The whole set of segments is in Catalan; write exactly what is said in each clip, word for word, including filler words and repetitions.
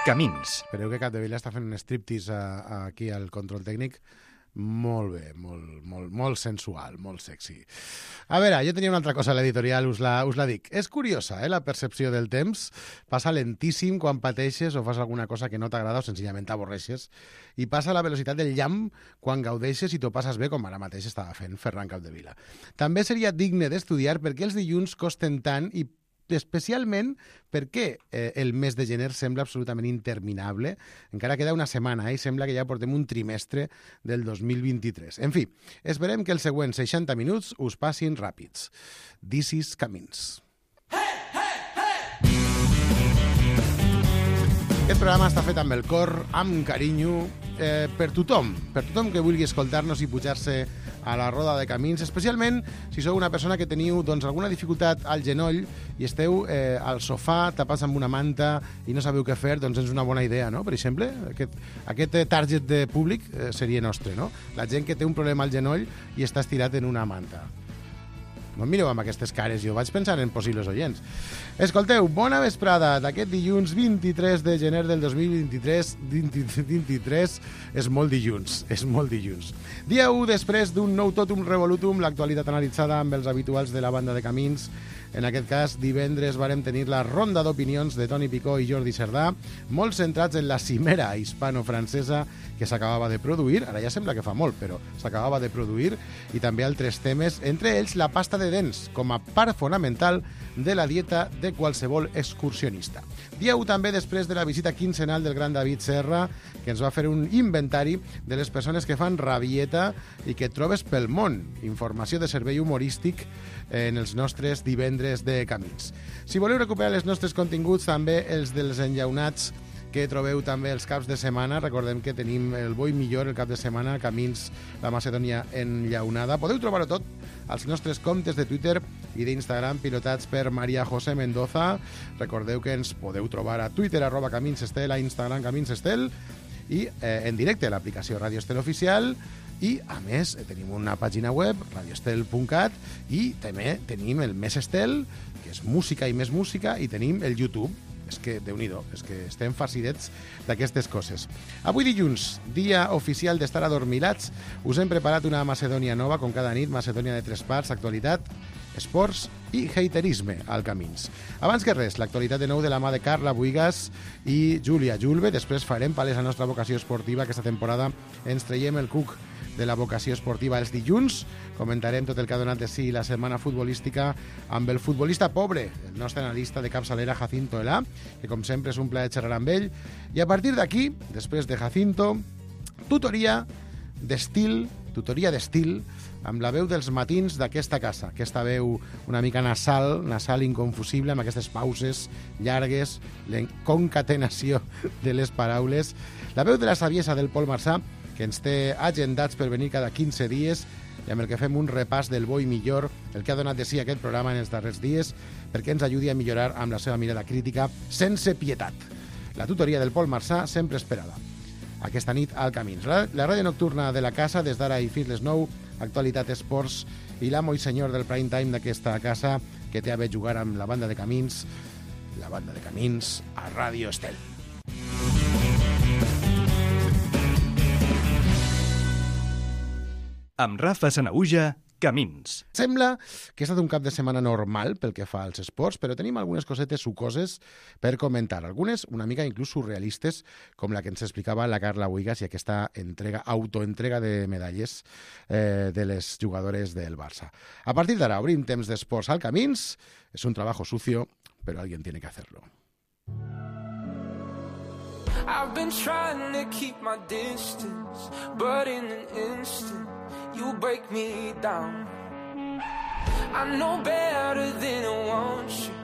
Camins. Espereu que Capdevila està fent un striptease a, a, aquí al control tècnic. Molt bé, molt, molt, molt sensual, molt sexy. A veure, jo tenia una altra cosa a l'editorial, us la, us la dic. És curiosa, eh, la percepció del temps. Passa lentíssim quan pateixes o fas alguna cosa que no t'agrada o senzillament t'avorreixes. I passa a la velocitat del llamp quan gaudeixes i t'ho passes bé, com ara mateix estava fent Ferran Capdevila. També seria digne d'estudiar per què els dilluns costen tant i especialment perquè eh, el mes de gener sembla absolutament interminable. Encara queda una setmana eh, i sembla que ja portem un trimestre del dos mil vint-i-tres. En fi, esperem que els següents seixanta minuts us passin ràpids. This is Camins. Hey, hey, hey! Aquest programa està fet amb el cor, amb carinyo, eh, per tothom, per tothom que vulgui escoltar-nos i pujar-se a la roda de Camins, especialment si sou una persona que teniu doncs, alguna dificultat al genoll i esteu eh, al sofà tapats amb una manta i no sabeu què fer, doncs és una bona idea, no? Per exemple, aquest, aquest target de públic eh, seria nostre, no? La gent que té un problema al genoll i està estirat en una manta. No em mireu amb aquestes cares, jo vaig pensar en possibles oients. Escolteu, bona vesprada d'aquest dilluns vint-i-tres de gener del dos mil vint-i-tres. vint-i-tres és molt dilluns, és molt dilluns. Dia u després d'un nou totum revolutum, l'actualitat analitzada amb els habituals de la banda de Camins. En aquest cas, divendres vàrem tenir la ronda d'opinions de Toni Picó i Jordi Cerdà, molt centrats en la cimera hispano-francesa que s'acabava de produir, ara ja sembla que fa molt, però s'acabava de produir, i també altres temes, entre ells la pasta de dents, com a part fonamental de la dieta de qualsevol excursionista. Dia u també després de la visita quinzenal del gran David Serra, que ens va fer un inventari de les persones que fan rabieta i que trobes pel món. Informació de servei humorístic en els nostres divendres de Camins. Si voleu recuperar els nostres continguts, també els dels enllaunats que trobeu també els caps de setmana. Recordem que tenim el bo i millor el cap de setmana, Camins, la Macedònia enllaunada. Podeu trobar-ho tot als nostres comptes de Twitter i d'Instagram pilotats per Maria José Mendoza. Recordeu que ens podeu trobar a Twitter, arroba Camins Estel, a Instagram Camins Estel, i eh, en directe a l'aplicació Radio Estel Oficial. I, a més, tenim una pàgina web, radio estel punt cat, i també tenim el Més Estel, que és música i més música, i tenim el YouTube. És que, Déu-n'hi-do, és que estem farcidets d'aquestes coses. Avui dilluns, dia oficial d'estar adormilats, us hem preparat una Macedònia nova, com cada nit, Macedònia de tres parts, actualitat, esports i haterisme al Camins. Abans que res, l'actualitat de nou de la mà de Carla Buigas i Júlia Julve. Després farem palès la nostra vocació esportiva. Aquesta temporada ens traiem el cuc de la vocació esportiva els dilluns. Comentarem tot el que ha donat de sí la setmana futbolística amb el futbolista pobre, el nostre analista de capçalera Jacinto Elà, que com sempre és un plaer xerrar amb ell. I a partir d'aquí, després de Jacinto, tutoria d'estil, tutoria d'estil, amb la veu dels matins d'aquesta casa, aquesta veu una mica nasal, nasal inconfusible, amb aquestes pauses llargues, la concatenació de les paraules, la veu de la saviesa del Pol Marçà, que ens té agendats per venir cada quinze dies i amb el que fem un repàs del bo i millor, el que ha donat de sí aquest programa en els darrers dies, perquè ens ajudi a millorar amb la seva mirada crítica sense pietat. La tutoria del Pol Marçà sempre esperada. Aquesta nit al Camins. La, la ràdio nocturna de la casa, des d'ara i fins les nou, actualitat esports i l'amo i senyor del prime time d'aquesta casa, que té a bé jugar amb la banda de Camins, la banda de Camins a Ràdio Estel. Amb Rafa Sanaüja, Camins. Sembla que ha estat un cap de setmana normal pel que fa als esports, però tenim algunes cosetes sucoses per comentar. Algunes una mica inclús surrealistes, com la que ens explicava la Carla Buigas i aquesta entrega, autoentrega de medalles eh, de les jugadores del Barça. A partir d'ara obrim temps d'esports al Camins. És un trabajo sucio, pero alguien tiene que hacerlo. I've been trying to keep my distance, but in an instant you break me down. I know better than I want you,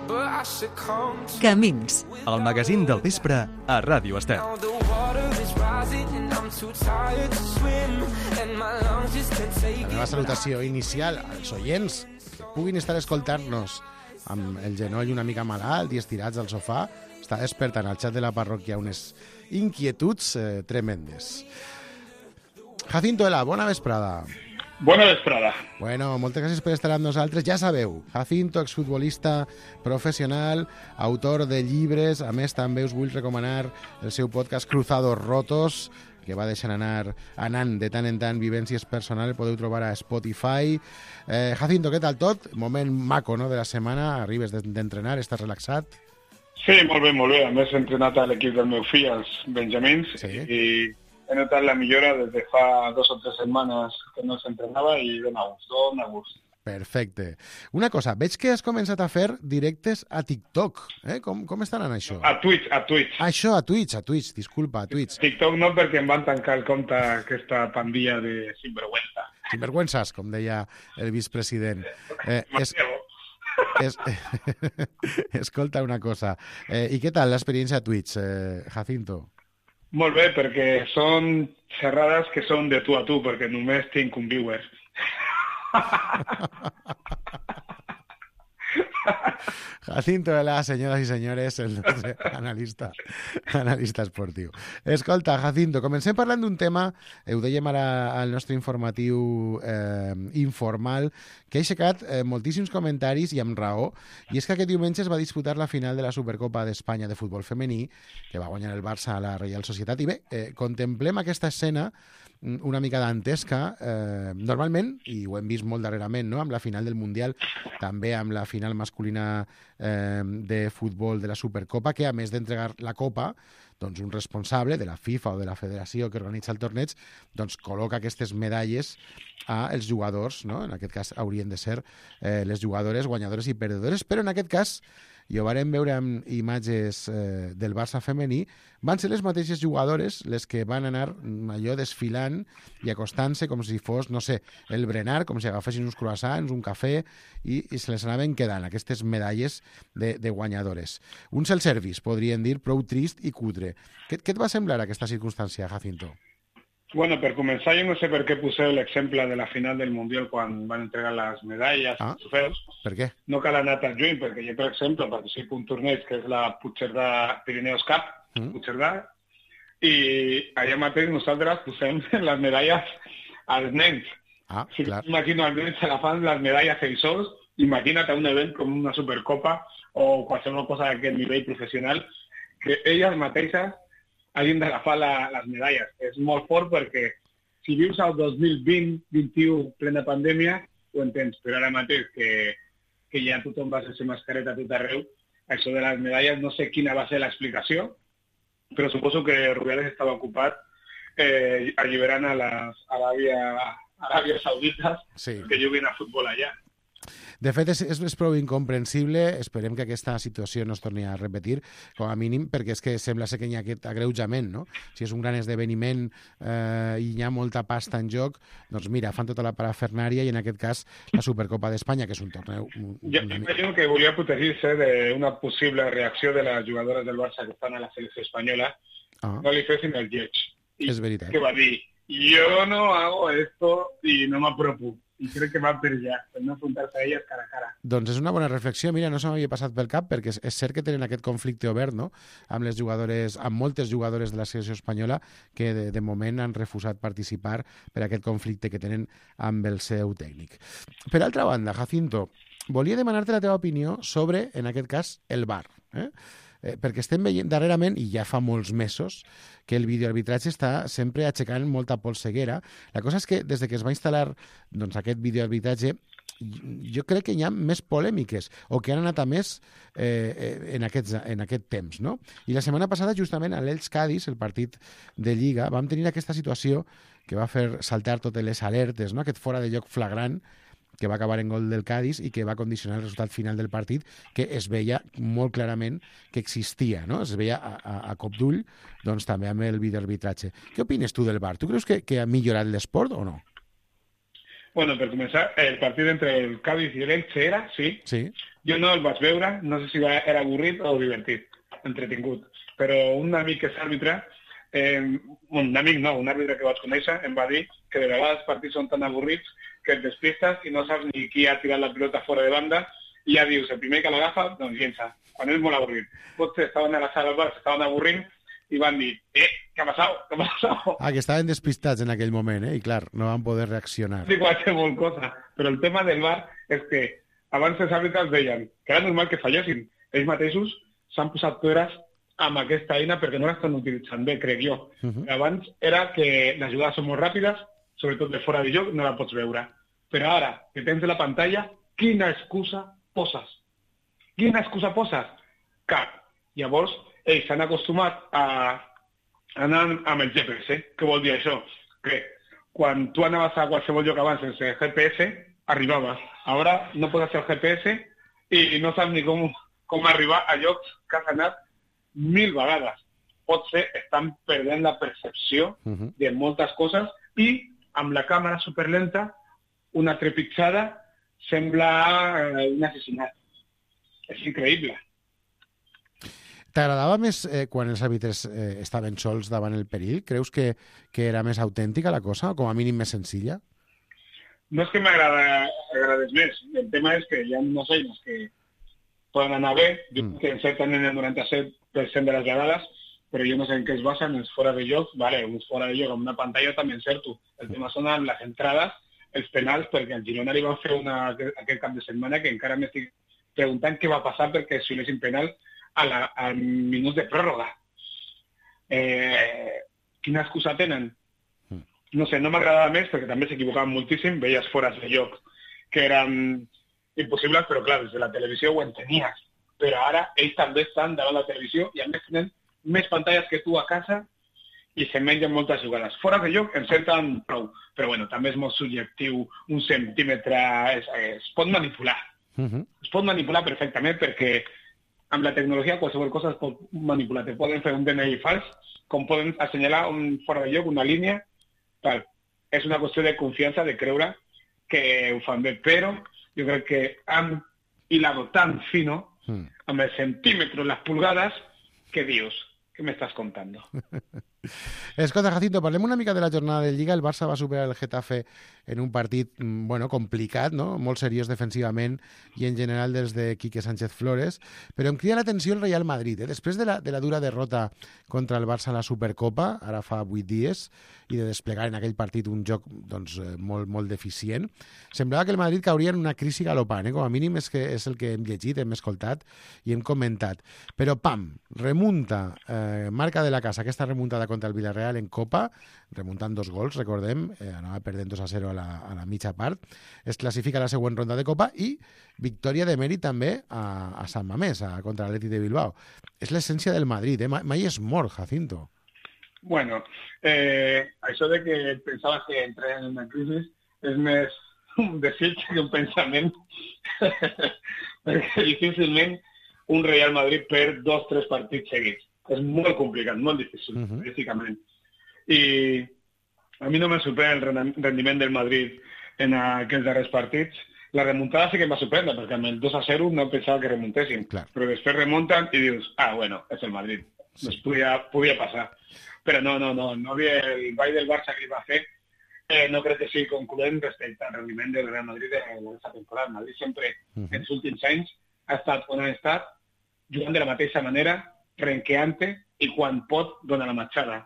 but I succumb to Camins, el magazín del vespre a Ràdio Estel. Now the water is rising and I'm too tired to swim and my lungs just can't take it. La meva salutació inicial als oients que puguin estar escoltant-nos amb el genoll una mica malalt i estirats al sofà. Està despertant al xat de la parròquia unes inquietuds eh, tremendes. Jacinto Elà, bona vesprada. Bona vesprada. Bueno, moltes gràcies per estar amb nosaltres. Ja sabeu, Jacinto, exfutbolista professional, autor de llibres. A més, també us vull recomanar el seu podcast Cruzados Rotos, que va deixant anar anant de tant en tant vivències personals. El podeu trobar a Spotify. Eh, Jacinto, què tal tot? Moment maco, no?, de la setmana. Arribes d'entrenar, estàs relaxat? Sí, molt bé, molt bé. A més, he entrenat a l'equip del meu fill, els Benjamins, sí. i he notat la millora des de fa dos o tres setmanes que no s'entrenava i dona gust, dona gust. Perfecte. Una cosa, veig que has començat a fer directes a TikTok. Eh? Com, com estan en això? A Twitch, a Twitch. Ah, això, a Twitch, a Twitch, disculpa, a Twitch. TikTok no, perquè em van tancar el compte aquesta pandilla de sinvergüenza. Sinvergüenzas, com deia el vicepresident. Eh, es, es, escolta una cosa. Eh, I què tal l'experiència a Twitch, eh, Jacinto? Molt bé, perquè són xerrades que són de tu a tu, perquè només tinc un viewer. Jacinto Vela, senyores i senyores, el nostre analista, analista esportiu. Escolta, Jacinto, comencem parlant d'un tema, eh, ho dèiem ara al nostre informatiu eh, informal, que ha aixecat eh, moltíssims comentaris i amb raó, i és que aquest diumenge es va disputar la final de la Supercopa d'Espanya de futbol femení, que va guanyar el Barça a la Reial Societat, i bé, eh, contemplem aquesta escena una mica dantesca, eh, normalment, i ho hem vist molt darrerament, no?, amb la final del Mundial, també amb la final masculina eh, de futbol de la Supercopa, que a més d'entregar la Copa, doncs un responsable de la FIFA o de la federació que organitza el torneig, doncs col·loca aquestes medalles als jugadors, no?, en aquest cas haurien de ser eh, les jugadores guanyadores i perdedores, però en aquest cas, i ho vàrem veure amb imatges eh, del Barça femení, van ser les mateixes jugadores les que van anar allò desfilant i acostant-se com si fos, no sé, el berenar, com si agafessin uns croissants, un cafè, i, i se les anaven quedant aquestes medalles de, de guanyadores. Un self-service, podríem dir, prou trist i cutre. Què, què et va semblar aquesta circumstància, Jacinto? Bueno, per començar, jo no sé per què poseu l'exemple de la final del Mundial quan van entregar les medalles, ah, els trofeus. Per què? No cal anar tan lluny, perquè jo, per exemple, participo en un torneig que és la Puigcerdà Pirineus Cup, mm. Puigcerdà, i allà mateix nosaltres posem les medalles als nens. Ah, si clar. Imagino als nens agafant les medalles ells sols, imagina't un event com una Supercopa o qualsevol cosa d'aquest nivell professional, que elles mateixes hagin d'agafar la, les medalles. És molt fort perquè si vius al dos mil vint vint-i-u plena pandèmia, ho entens, però ara mateix que, que ja tothom va sense mascareta a tot arreu, això de les medalles no sé quina va ser l'explicació, però suposo que Rubiales estava ocupat eh, alliberant a les Aràbia, Aràbia Saudites sí. que juguin a futbol allà. De fet, és, és, és prou incomprensible. Esperem que aquesta situació no es torni a repetir, com a mínim, perquè és que sembla ser que hi ha aquest agreujament, no? Si és un gran esdeveniment eh, i hi ha molta pasta en joc, doncs mira, fan tota la parafernària i en aquest cas la Supercopa d'Espanya, que és un torneu... Un, jo una... imagino que volia protegir-se d'una possible reacció de les jugadores del Barça que estan a la selecció espanyola, ah. no li fessin el lleig. I és veritat. que va dir, jo no hago esto i no m'apropo. I crec que va per allà, per no enfrontar-se a elles cara a cara. Doncs és una bona reflexió. Mira, no se m'havia passat pel cap, perquè és, és cert que tenen aquest conflicte obert, no?, amb les jugadores, amb moltes jugadores de la selecció espanyola que de, de moment han refusat participar per aquest conflicte que tenen amb el seu tècnic. Per altra banda, Jacinto, volia demanar-te la teva opinió sobre, en aquest cas, el V A R. Eh? Eh, perquè estem veient darrerament, i ja fa molts mesos, que el videoarbitratge està sempre aixecant molta polseguera. La cosa és que des de que es va instal·lar doncs, aquest videoarbitratge, jo crec que hi ha més polèmiques, o que han anat a més eh, en, aquests, en aquest temps, no? I la setmana passada, justament, a l'Elx Cádiz, el partit de Lliga, vam tenir aquesta situació que va fer saltar totes les alertes, no?, aquest fora de lloc flagrant, que va acabar en gol del Cádiz i que va condicionar el resultat final del partit, que es veia molt clarament que existia, no? Es veia a, a, a cop d'ull, doncs també amb el videoarbitratge. Què opines tu del V A R? Tu creus que, que ha millorat l'esport o no? Bueno, per començar, el partit entre el Cádiz i l'Elche era, sí. Sí. Jo no el vaig veure, no sé si era avorrit o divertit, entretingut. Però un amic que és àrbitre, eh, un amic no, un àrbitre que vaig conèixer, em va dir que de vegades els partits són tan avorrits que et despistes i no saps ni qui ha tirat la pilota fora de banda i ja dius, el primer que l'agafa, doncs llença. Quan és molt avorrit. Potser estaven a la sala del bar, s'estaven avorrint i van dir, eh, què ha passat? Què ha passat? Ah, que estaven despistats en aquell moment, eh? I clar, no van poder reaccionar. Sí, qualsevol cosa. Però el tema del V A R és que abans els àrbitres deien que era normal que fallessin. Ells mateixos s'han posat peres amb aquesta eina perquè no l'estan utilitzant bé, crec jo. Uh-huh. Abans era que les jugades són molt ràpides, sobretot de fora de joc, no la pots veure. Però ara, que tens la pantalla, quina excusa poses? Quina excusa poses? Cap. Llavors, ells s'han acostumat a anar amb el G P S. Què vol dir això? Que quan tu anaves a qualsevol lloc abans sense G P S, arribaves. Ara no pots fer el G P S i no saps ni com, com arribar a llocs que has anat mil vegades. Potser estan perdent la percepció uh-huh. de moltes coses i amb la càmera superlenta una trepitjada sembla eh, un assassinat. És increïble. T'agradava més eh, quan els àrbitres eh, estaven sols davant el perill? Creus que, que era més autèntica la cosa o com a mínim més senzilla? No és que m'agradés més. El tema és que hi ha unes eines que poden anar bé, jo mm. que encerten en el noranta-set per cent de les vegades, però jo no sé en què es basen, els fora de joc, vale, uns fora de joc amb una pantalla també encerto. El tema són les entrades, els penals, perquè al Girona li van fer una, aquest cap de setmana que encara m'estic preguntant què va passar perquè si xiulessin penal a la, al minut de pròrroga. Eh, quina excusa tenen? No sé, no m'agradava més perquè també s'equivocaven moltíssim, veies fores de joc que eren impossibles, però clar, des de la televisió ho entenies. Però ara ells també estan davant la televisió i a més tenen més pantalles que tu a casa i se mengen moltes jugades. Fora de lloc encerten prou, però bueno, també és molt subjectiu, un centímetre es, es pot manipular. Uh-huh. Es pot manipular perfectament perquè amb la tecnologia qualsevol cosa es pot manipular. Te poden fer un D N I fals, com poden assenyalar un fora de lloc, una línia, tal. És una qüestió de confiança, de creure que ho fan bé, però jo crec que han hilado tan fino, uh-huh. amb els centímetres, les pulgades, que dius, què m'estàs contant? Escolta, Jacinto, parlem una mica de la jornada de Lliga. El Barça va superar el Getafe en un partit bueno, complicat, no? Molt seriós defensivament i en general des de Quique Sánchez Flores, però em crida l'atenció el Real Madrid. Eh? Després de la, de la dura derrota contra el Barça a la Supercopa, ara fa vuit dies, i de desplegar en aquell partit un joc doncs, molt, molt deficient, semblava que el Madrid cauria en una crisi galopant. Eh? Com a mínim és, que és el que hem llegit, hem escoltat i hem comentat. Però, pam, remunta, eh, marca de la casa, aquesta remuntada contra el Villarreal en Copa, remuntant dos gols, recordem, eh, anava perdent dos a zero a la, a la mitja part, es classifica a la següent ronda de Copa i victòria de mèrit també a, a Sant Mamés, a, contra l'Atlètic de Bilbao. És l'essència del Madrid, eh? Mai és mort, Jacinto. Bueno, eh, això de que pensaves que entrar en una crisi és més un desig que un pensament, perquè difícilment un Real Madrid perd dos o tres partits seguits. És molt complicat, molt difícil, uh-huh. físicament. I a mi no me sorprèn el rendiment del Madrid en aquests darrers partits. La remuntada sí que em va sorprendre, perquè amb el dos a zero no pensava que remuntessin. Clar. Però després remunten i dius, ah, bueno, és el Madrid. Sí. Doncs podia, podia passar. Però no, no, no, no havia el ball del Barça que va fer. Eh, no crec que sigui concloent respecte al rendiment del Real Madrid en aquesta temporada. El Madrid sempre, uh-huh. en els últims anys, ha estat on ha estat, jugant de la mateixa manera, renqueante i quan pot dona la matxada.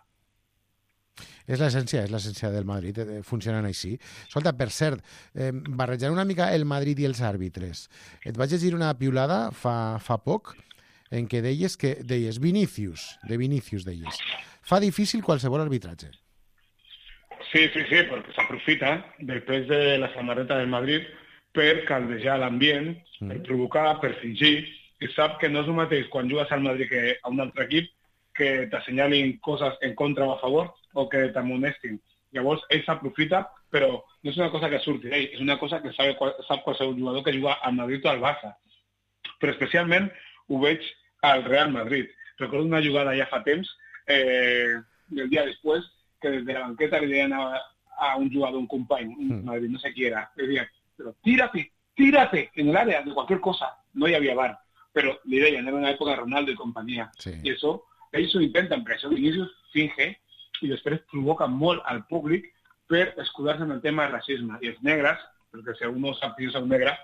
És l'essència, és l'essència del Madrid, eh, funcionant així. Escolta, per cert, eh, barrejant una mica el Madrid i els àrbitres. Et vaig llegir una piulada fa, fa poc en què deies que deies Vinícius, de Vinícius deies, fa difícil qualsevol arbitratge. Sí, sí, sí, perquè s'aprofita després de la samarreta del Madrid per caldejar l'ambient, mm. per provocar, per fingir, i sap que no és el mateix quan jugues al Madrid que a un altre equip que t'assenyalin coses en contra o a favor o que t'amonestin. Llavors, ell s'aprofita, però no és una cosa que surti d'ell, és una cosa que sap, sap qualsevol jugador que juga al Madrid o al Barça. Però especialment ho veig al Real Madrid. Recordo una jugada ja fa temps, eh, el dia després, que des de la banqueta li deien a, a un jugador, un company, un Madrid, no sé qui era, li deien, però tírate, tírate en el área de cualquier cosa. No hi havia V A R. Però li deien, era una època de Ronaldo i companyia. Sí. I això, ells ho intenten, però això Vinícius finge i després provoca molt al públic per escudar-se en el tema de racisme. I els negres, perquè si algú no sap que jo soc negre,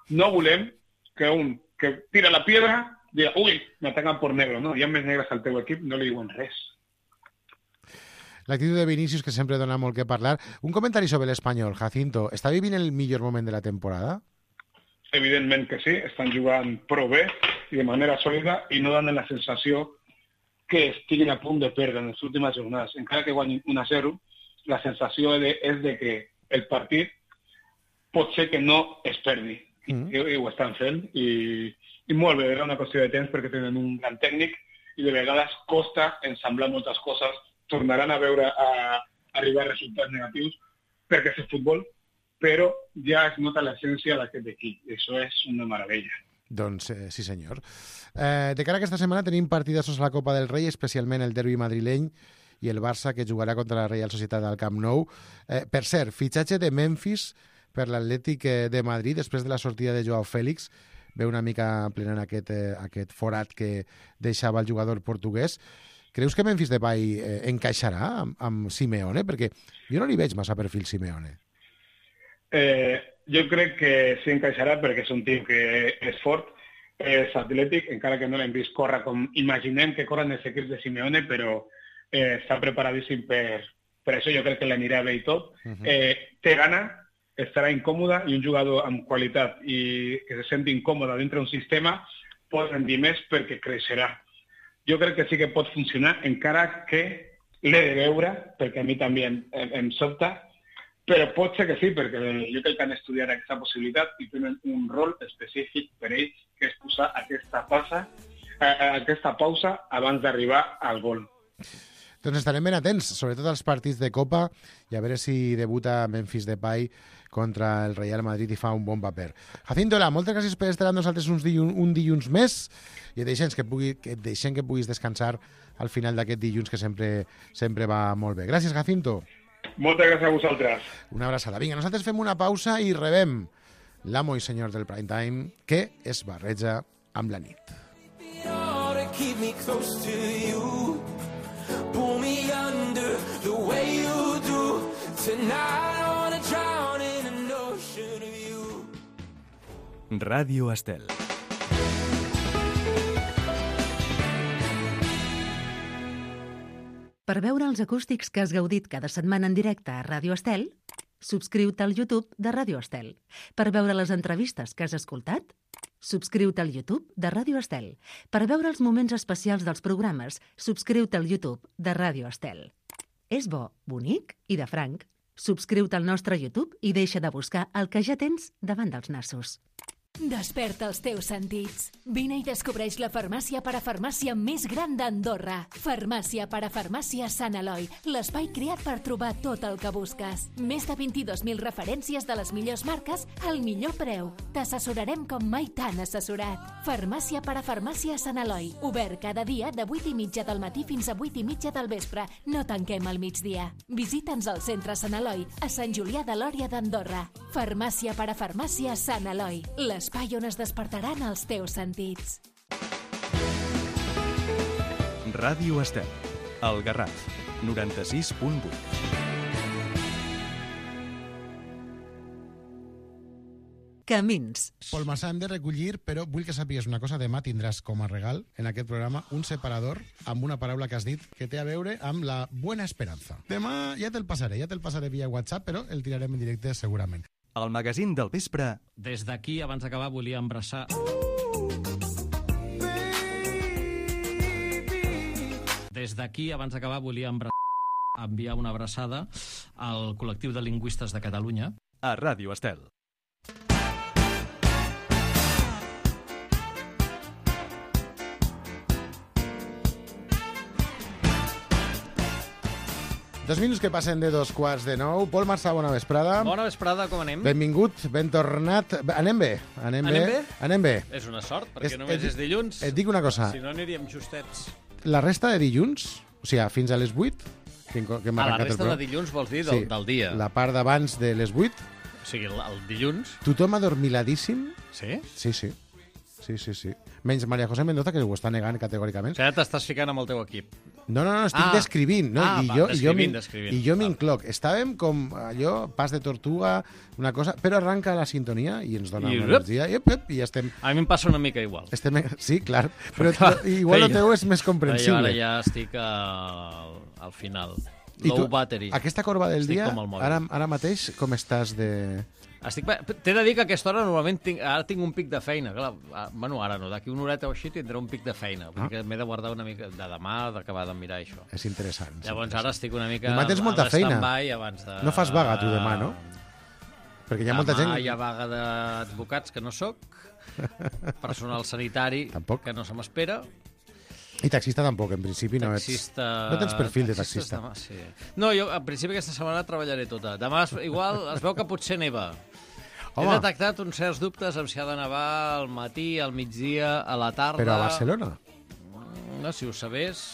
no volem que un que tira la piedra diga, ui, m'ataquen per negro, no? Hi ha més negres al teu equip, no li diuen res. l'actitud de Vinícius, que sempre dona molt que parlar. Un comentari sobre l'Espanyol, Jacinto. Està vivint el millor moment de la temporada? Evidentment que sí, estan jugant prou bé i de manera sòlida i no donen la sensació que estiguin a punt de perdre en les últimes jornades. Encara que guanyin un a zero, la sensació de, és de que el partit pot ser que no es perdi. Mm. I, i ho estan fent i, i molt bé, era una qüestió de temps perquè tenen un gran tècnic i de vegades costa ensamblar moltes coses, tornaran a veure a, a arribar a resultats negatius perquè és futbol, però ja es nota l'essència d'aquest equip. Això és una meravella. Doncs eh, sí, senyor. Eh, de cara a aquesta setmana tenim partidassos a la Copa del Rei, especialment el derbi madrileny i el Barça, que jugarà contra la Reial Societat al Camp Nou. Eh, per cert, fitxatge de Memphis per l'Atlètic de Madrid després de la sortida de Joao Félix. Ve una mica plenant aquest, eh, aquest forat que deixava el jugador portuguès. Creus que Memphis Depay eh, encaixarà amb, amb Simeone? Perquè jo no li veig massa perfil Simeone. Eh, jo crec que sí encaixarà perquè és un tio que és fort, és atlètic, encara que no l'hem vist córrer com imaginem que corren els equips de Simeone, però eh, està preparadíssim per, per això. Jo crec que l'anirà bé i tot. Uh-huh. eh, té gana, estarà incòmode i un jugador amb qualitat i que se senti incòmode dintre d'un sistema pot rendir més perquè creixerà. Jo crec que sí que pot funcionar, encara que l'he de veure, perquè a mi també em, em sobta, però pot ser que sí, perquè jo crec que han estudiat aquesta possibilitat i tenen un rol específic per ells, que és posar aquesta pausa, eh, aquesta pausa abans d'arribar al gol. Doncs estarem ben atents, sobretot als partits de Copa, i a veure si debuta Memphis Depay contra el Real Madrid i fa un bon paper. Jacinto, moltes gràcies per estar amb nosaltres uns dilluns, un dilluns més i et deixem que, pugui, que, et deixem que puguis descansar al final d'aquest dilluns, que sempre, sempre va molt bé. Gràcies, Jacinto. Moltes gràcies a vosaltres. Una abraçada. Vinga, nosaltres fem una pausa i rebem l'amo i senyor del prime time, que es barreja amb la nit. Ràdio Estel. Per veure els acústics que has gaudit cada setmana en directe a Ràdio Estel, subscriu-te al YouTube de Ràdio Estel. Per veure les entrevistes que has escoltat, subscriu-te al YouTube de Ràdio Estel. Per veure els moments especials dels programes, subscriu-te al YouTube de Ràdio Estel. És bo, bonic i de franc. Subscriu-te al nostre YouTube i deixa de buscar el que ja tens davant dels nassos. Desperta els teus sentits. Vine i descobreix la farmàcia parafarmàcia més gran d'Andorra. Farmàcia parafarmàcia Sant Eloi, l'espai creat per trobar tot el que busques. Més de vint-i-dos mil referències de les millors marques al millor preu. T'assessorarem com mai t'han assessorat. Farmàcia parafarmàcia Sant Eloi, obert cada dia de vuit i mitja del matí fins a vuit i mitja del vespre. No tanquem al migdia. Visita'ns al centre Sant Eloi, a Sant Julià de Lòria d'Andorra. Farmàcia parafarmàcia Sant Eloi, l'espai on es despertaran els teus sentits. Ràdio Estel, el Garraf, noranta-sis punt vuit. Camins. Pol Massà, hem de recollir, però vull que sàpigues una cosa. Demà tindràs com a regal en aquest programa un separador amb una paraula que has dit que té a veure amb la buena esperanza. Demà ja te'l passaré, ja te'l passaré via WhatsApp, però el tirarem en directe segurament. El magazín del vespre. Des d'aquí, abans d'acabar, volia embraçar... Des d'aquí, abans d'acabar, volia embraçar... enviar una abraçada al col·lectiu de lingüistes de Catalunya. A Ràdio Estel. Dos minuts que passen de dos quarts de nou. Pol Massà, bona vesprada. Bona vesprada, com anem? Benvingut, ben tornat. Anem bé. Anem, anem bé? Anem bé. És una sort, perquè és, només et, és dilluns. Et dic una cosa. Si no, aniríem justets. La resta de dilluns, o sigui, fins a les vuit... Que, que ah, la resta de dilluns vols dir del, sí, del dia. La part d'abans de les vuit. O sigui, el, el dilluns. Tothom adormiladíssim. Sí? Sí, sí. Sí, sí, sí. Menys María José Mendoza, que ho està negant categòricament. O sigui, ara t'estàs ficant amb el teu equip. No, no, no, estic ah. descrivint. No? Ah, I va, jo, descrivint, i descrivint. I jo m'incloc. Estàvem com allò, pas de tortuga, una cosa, però arranca la sintonia i ens dona I, una energia. I, up, up, i estem... A mi em passa una mica igual. Estem... Sí, clar. Però igual el teu és més comprensible. Jo ara ja estic al, al final. I low tu, battery. aquesta corba del Estic dia, com el mòbil. ara, ara mateix, com estàs de... Estic... T'he de dir que a aquesta hora normalment tinc... ara tinc un pic de feina. Clar, bueno, ara no, d'aquí una horeta o així tindré un pic de feina. Ah. Perquè m'he de guardar una mica de demà, d'acabar de mirar això. És interessant. és Llavors interessant. ara estic una mica... Demà tens molta a feina. stand-by abans de... No fas vaga, tu, demà, no? Perquè hi ha molta gent... Demà hi ha vaga d'advocats, que no sóc, personal sanitari, Tampoc. que no se m'espera, I taxista tampoc, en principi no ets... taxista... No tens perfil de taxistes taxista. Demà, sí. No, jo en principi aquesta setmana treballaré tota. Demà es- igual es veu que potser neva. Home. He detectat uns certs dubtes amb si ha de nevar al matí, al migdia, a la tarda... Però a Barcelona? No, si ho sabés,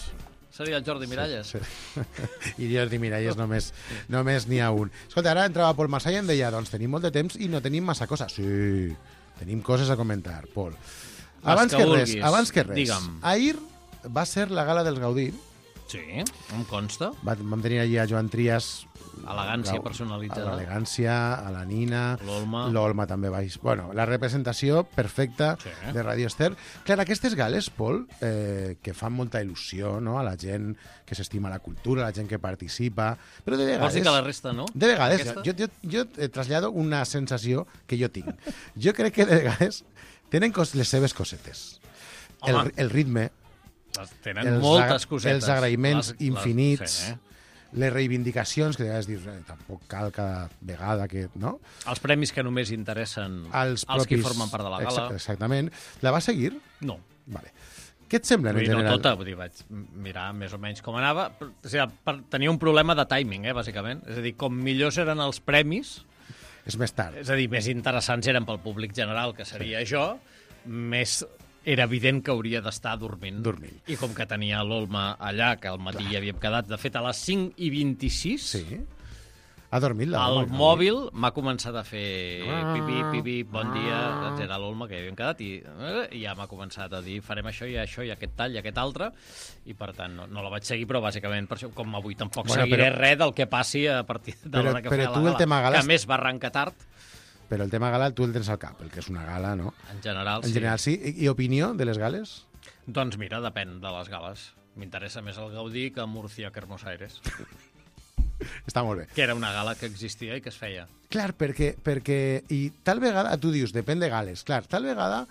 seria el Jordi Miralles. Sí, sí. I Jordi Miralles només només n'hi ha un. Escolta, ara entrava Pol Marsà i em deia, doncs tenim molt de temps i no tenim massa coses. Sí, tenim coses a comentar, Pol. Abans que que, res, vulguis, abans que res, digue'm. ahir va ser la gala dels Gaudí. Sí, em consta. Va, vam tenir allí a Joan Trias, Elegància Gau- personalitzada. a l'elegància, a la Nina, L'Olma. l'Olma també va... Bueno, la representació perfecta Sí. de Radio Ester. Clar, aquestes gales, Pol, eh, que fan molta il·lusió, no?, a la gent que s'estima la cultura, a la gent que participa, però de Vols vegades... dir que la resta no? De vegades, Aquesta? jo, jo, jo eh, trasllado una sensació que jo tinc. Jo crec que de vegades tenen cos, les seves cosetes. El, Home. el ritme, Tenen els, moltes agra- cosetes. els agraïments Les- les- infinits, sí, eh? les reivindicacions, que de vegades dius, eh, tampoc cal cada vegada que... No? Els premis que només interessen Els, als qui propis- formen part de la gala. Exa- Exactament. La va seguir? No. Vale. Què et sembla, en Vull dir, no general? tota, vull dir, vaig mirar més o menys com anava. Però, o sigui, per, tenia un problema de timing, eh, bàsicament. És a dir, com millors eren els premis, És més tard. és a dir, més interessants eren pel públic general, que seria sí. jo, més era evident que hauria d'estar dormint. Dormint. I com que tenia l'Olma allà, que al matí hi havíem quedat, de fet, a les cinc i vint-i-sis, Sí. Ha dormit la el Olma, mòbil m'ha començat a fer Ah. pipi, pipi, bon dia, doncs era l'Olma que hi havíem quedat, i, eh, i ja m'ha començat a dir farem això i això i aquest tall i aquest altre, i per tant no, no la vaig seguir, però bàsicament per això, com avui tampoc Bueno, seguiré però- res del que passi a partir de Però- l'hora que però feia tu la el gala, tema gala que és- a més va arrencar tard, Però el tema gala tu el tens al cap, el que és una gala, no? en general, En general, sí. I, i opinió de les gales? Doncs mira, depèn de les gales. M'interessa més el Gaudí que Múrcia que Hermos Aires, Està molt bé. que era una gala que existia i que es feia. Clar, perquè, perquè... I tal vegada, tu dius, depèn de gales. Clar, tal vegada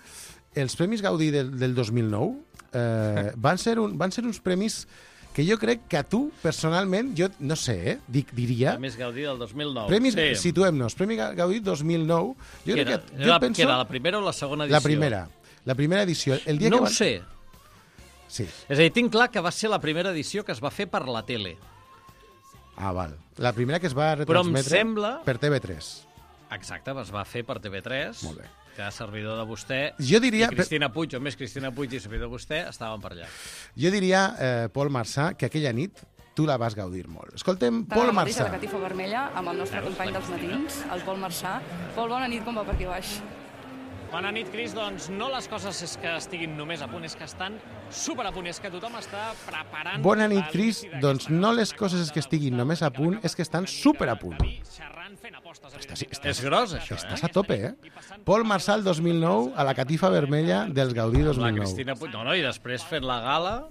els Premis Gaudí del, del dos mil nou eh, van, ser un, van ser uns premis que jo crec que a tu, personalment, jo no sé, eh, dic, diria... Premis Gaudí del dos mil nou. Premis, sí. situem-nos, Premi Gaudí dos mil nou. Jo Que crec era, que, jo era, penso... que era la primera o la segona edició? La primera. La primera edició. El dia No que ho van... sé. Sí. És a dir, tinc clar que va ser la primera edició que es va fer per la tele. Ah, val. La primera que es va Però em retransmetre sembla- per T V tres. Exacte, es va fer per T V tres. Molt bé. Que servidor de vostè Jo diria- i Cristina Puig, o més Cristina Puig i servidor de vostè, estaven per allà. Jo diria, eh, Pol Marsà, que aquella nit tu la vas gaudir molt. Escoltem Tant Pol la mateixa, Marsà. la catifa vermella, amb el nostre company dels matins, el Pol Marsà. Pol, bona nit, com va per aquí baix? Bona nit, Cris. Doncs no les coses és que estiguin només a punt, és que estan super a punt, és que tothom està preparant... Bona nit, l'inici Cris. d'aquesta Doncs no les nova coses és que temporada estiguin del només a Festival punt, de Cannes, és que estan una mica super a punt. David xerrant, fent apostes, Estàs, evidentment, estàs, És gros, això, estàs eh? a tope, eh? Pol Marsà el dos mil nou a la catifa vermella dels Gaudí dos La mil nou. Cristina Puig, no, no, i després fent la gala,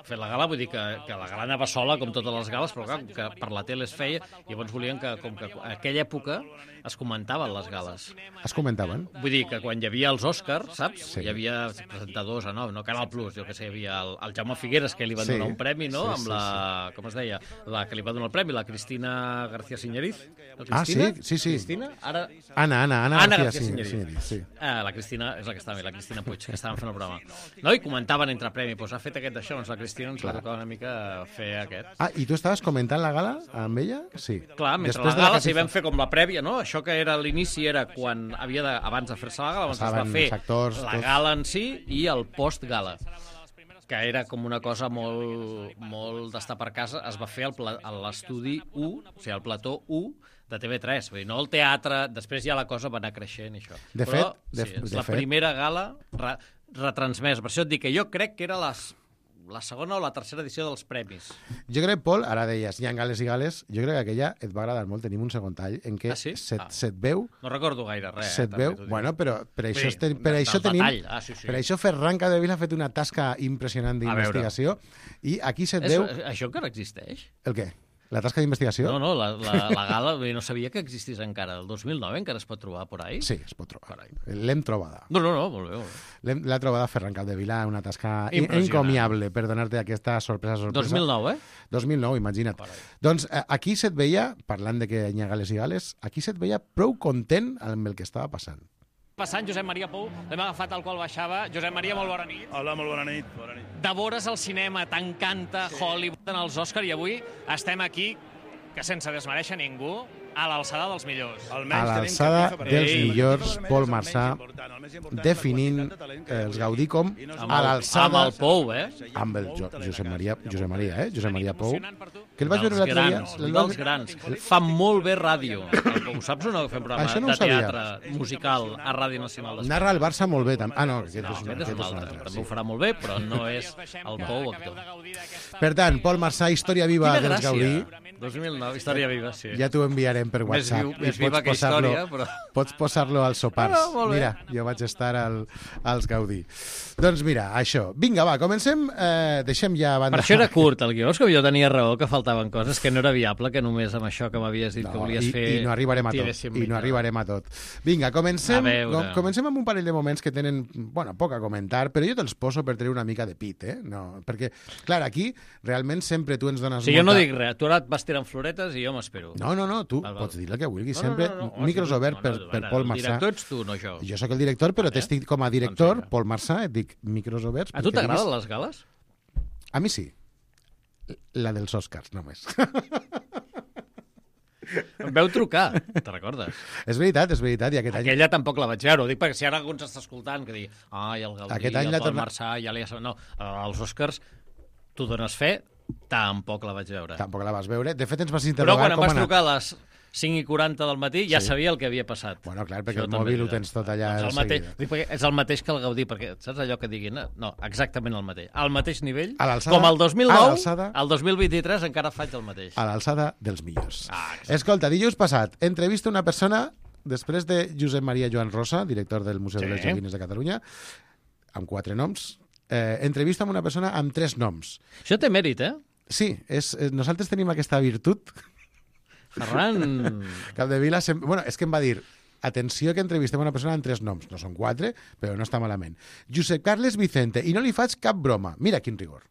fent la gala vull dir que, que la gala anava sola, com totes les gales, però clar, que per la tele es feia, i llavors volien que, com que a aquella època es comentaven les gales. Es comentaven? Vull dir que quan hi havia els Oscars, saps? Sí. Hi havia presentadors a nou, no Canal Plus, jo que sé, hi havia el, el Jaume Figueres, que li van Sí. donar un premi, no? Sí, Amb sí, la, com es deia? La que li va donar el premi, la Cristina García Siñeriz. La Ah, Cristina? sí, sí, sí. Cristina? Ara... Anna, Anna, Anna, Anna García, García sí, Siñeriz. Siñeriz, sí. Ah, la Cristina, és la que estava bé, la Cristina Puig, que estaven fent el programa. No? I comentaven entre premi, doncs ha fet aquest d'això, doncs la Cristina ens va tocar una mica fer aquest. Ah, i tu estaves comentant la gala amb ella? Sí. Clar, mentre Després la de gala s'hi catifa- vam fer com la prèvia, no? Això que era l'inici era quan havia de, abans de fer-se la gala, abans es va Estaven fer els actors, la tots. gala en si i el post-gala, que era com una cosa molt, molt d'estar per casa. Es va fer al pla- a l'estudi u, o sigui, al plató u de T V tres, vull dir, no el teatre, després ja la cosa va anar creixent i això. De Però, fet- de- sí, és de la fet- primera gala re, retransmesa. Per això et dic que jo crec que era les, la segona o la tercera edició dels premis. Jo crec, Pol, ara deies, hi ha gales i gales, jo crec que aquella et va agradar molt. Tenim un segon tall en què Ah, sí? se't, Ah. se't veu... No recordo gaire res. Se't eh, veu... també t'ho dic. Bueno, però per això, Sí, estem, per de- això del tenim... detall. Ah, sí, sí. Per això Ferran Capdevila ha fet una tasca impressionant A veure. d'investigació i aquí se't És, veu... Això encara existeix? El què? La tasca d'investigació? No, no, la, la, la gala no sabia que existís encara. El dos mil nou encara es pot trobar por ahí? Sí, es pot trobar. L'hem trobada. No, no, no, molt bé. Molt bé. L'ha trobada Ferran Capdevila, una tasca encomiable per donar-te aquesta sorpresa, sorpresa. dos mil nou, eh? dos mil nou, imagina't. Carai. Doncs aquí se't veia, parlant de que hi ha gales i gales, aquí se't veia prou content amb el que estava passant. Passant, Josep Maria Pou, l'hem agafat al qual baixava. Josep Maria, molt bona nit. Hola, molt bona nit. Bona nit. De vores al cinema, t'encanta sí. Hollywood en els Òscar, i avui estem aquí, que sense desmereixer ningú, a l'alçada dels millors. A l'alçada dels millors, Pol Marçà, definint els Gaudí com a l'alçada... Amb el Pou, eh? Amb el jo, Josep Maria, Josep Maria, eh? Josep Maria Pou. Que el vaig veure l'altre dia. Dels grans. Fa molt bé ràdio. Ho saps o no? Fem programa no de teatre musical a Ràdio Nacional d'Espanya. Narra el Barça molt bé. Ah, no, aquest és un, aquest és un altre. També ho farà molt bé, però no és el Pou actor. Per tant, Pol Marçà, història viva dels Gaudí. dos mil nou, història viva, sí. Ja t'ho enviarem per WhatsApp. Més, més viva que història, però... Pots posar-lo als sopars. Ah, mira, jo vaig estar al, als Gaudí. Doncs mira, això. Vinga, va, comencem. Eh, deixem ja a banda... Per això era curt, el guió. És que jo tenia raó, que faltaven coses, que no era viable, que només amb això que m'havies dit no, que volies i, fer... I no arribarem a tot. I no arribarem a tot. Vinga, comencem, com, comencem amb un parell de moments que tenen, bueno, poc a comentar, però jo te'ls poso per tenir una mica de pit, eh? No, perquè, clar, aquí realment sempre tu ens dones... Sí, molta... jo no dic res. Tu ara et vas tirant floretes i jo m'espero. No, no, no, tu val, val. Pots dir el que vulguis, no, sempre no, no, no, micros no, oberts no, no, per, per Pol Marçà. El director ets tu, no jo. Jo sóc el director, però vale. T'estic com a director, doncs Pol Marçà, et dic micros oberts. A tu t'agraden les gales? A mi sí. La dels Oscars, només. Em veu trucar, te recordes? És veritat, és veritat. I aquest any... Aquella tampoc la vaig veure, ho dic perquè si ara algú ens està escoltant que digui, ai, el Gaudí, aquest any el Pol torna... Marçà, ja li ha... No, els Oscars, tu dones fe, tampoc la vaig veure. Tampoc la vas veure. De fet, ens vas interrogar com com em vas trucar a les cinc i quaranta del matí, ja sí. sabia el que havia passat. Bueno, clar, perquè Això el mòbil ho tens tot allà doncs el mateix, és el mateix que el Gaudí, perquè saps allò que diguin? No, exactament el mateix. Al mateix nivell, com el dos mil nou, el dos mil vint-i-tres encara faig el mateix. A l'alçada dels millors. Ah, Escolta, dijous passat, entrevista una persona, després de Josep Maria Joan Rosa, director del Museu sí. de les Joguines de Catalunya, amb quatre noms, eh, entrevista amb una persona amb tres noms. Això té mèrit, eh? Sí, és, nosaltres tenim aquesta virtut. Ferran... Capdevila, sem... bueno, és que em va dir atenció que entrevistem una persona amb tres noms. No són quatre, però no està malament. Josep Carles Vicente, i no li faig cap broma. Mira quin rigor.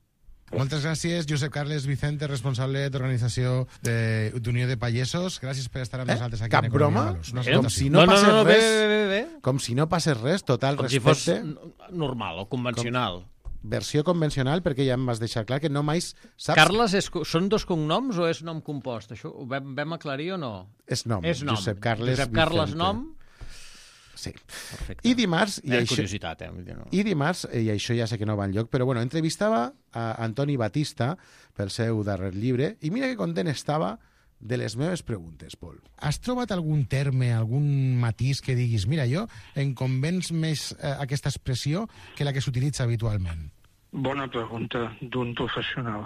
Moltes gràcies, Josep Carles Vicente, responsable d'organització d'Unió de Pagesos. Gràcies per estar amb eh? nosaltres aquí. Cap broma? No, com si no, no passés no, no, res. Bé, bé, bé. Com si no passés res, total com respecte. Com si fos normal o convencional. Com... Versió convencional, perquè ja em vas deixar clar que no mai saps... Carles, és, són dos cognoms o és nom compost? Això ho vam, vam aclarir o no? És nom. És nom. Josep Carles Josep Carles nom? Sí. Perfecte. I dimarts... I això, curiositat, eh? No. I dimarts, i això ja sé que no va enlloc, però bueno, entrevistava a Antoni Batista pel seu darrer llibre, i mira que content estava de les meves preguntes, Pol. Has trobat algun terme, algun matís que diguis, mira, jo em convenç més eh, aquesta expressió que la que s'utilitza habitualment? Bona pregunta d'un professional.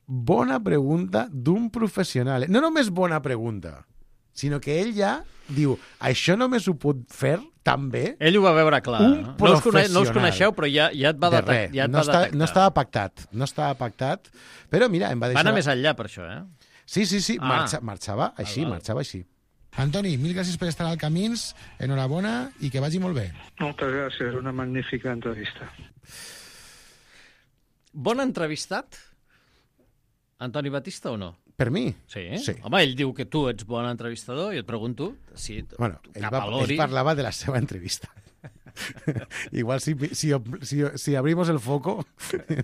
Bona pregunta d'un professional. No només bona pregunta, sinó que ell ja diu, això només ho pot fer també... Ell ho va veure clar. Un no? professional. No us, no us coneixeu, però ja, ja et va, de detect, ja et no, va està, detectar. No estava pactat, no estava pactat, però mira, em va deixar... Va anar més enllà per això, eh? Sí, sí, sí, ah. marxa, marxava així, val, val. marxava així. Antoni, mil gràcies per estar al Camins, enhorabona i que vagi molt bé. Moltes gràcies, una magnífica entrevista. Bon entrevistat, Antoni Batista, o no? Per mi? Sí. sí. Home, ell diu que tu ets bon entrevistador i et pregunto si bueno, ell, va, ell parlava de la seva entrevista. Igual si, si, si, si abrimos el foco